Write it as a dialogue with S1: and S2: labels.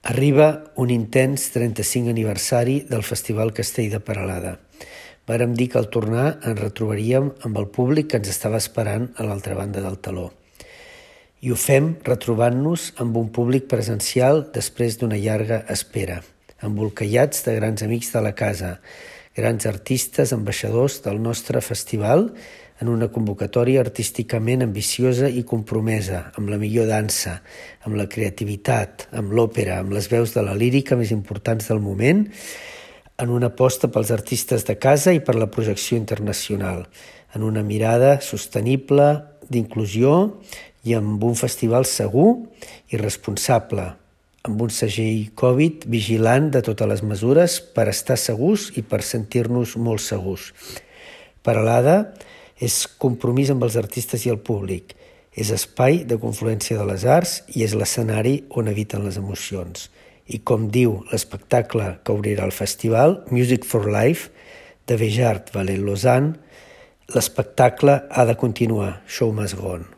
S1: Arriba un intens 35 aniversari del Festival Castell de Peralada. Vàrem dir que al tornar ens retrobaríem amb el públic que ens estava esperant a l'altra banda del teló. I ho fem retrobant-nos amb un públic presencial després d'una llarga espera, embolcallats de grans amics de la casa, grans artistes, ambaixadors del nostre festival, en una convocatòria artísticament ambiciosa i compromesa, amb la millor dansa, amb la creativitat, amb l'òpera, amb les veus de la lírica més importants del moment, en una aposta pels artistes de casa i per la projecció internacional, en una mirada sostenible, d'inclusió i amb un festival segur i responsable, amb un segell Covid vigilant de totes les mesures per estar segurs i per sentir-nos molt segurs. Peralada és compromís amb els artistes i el públic, és espai de confluència de les arts i és l'escenari on habiten les emocions. I com diu l'espectacle que obrirà el festival, Music for Life, de Béjart Valet Lausanne, l'espectacle ha de continuar, show must go on.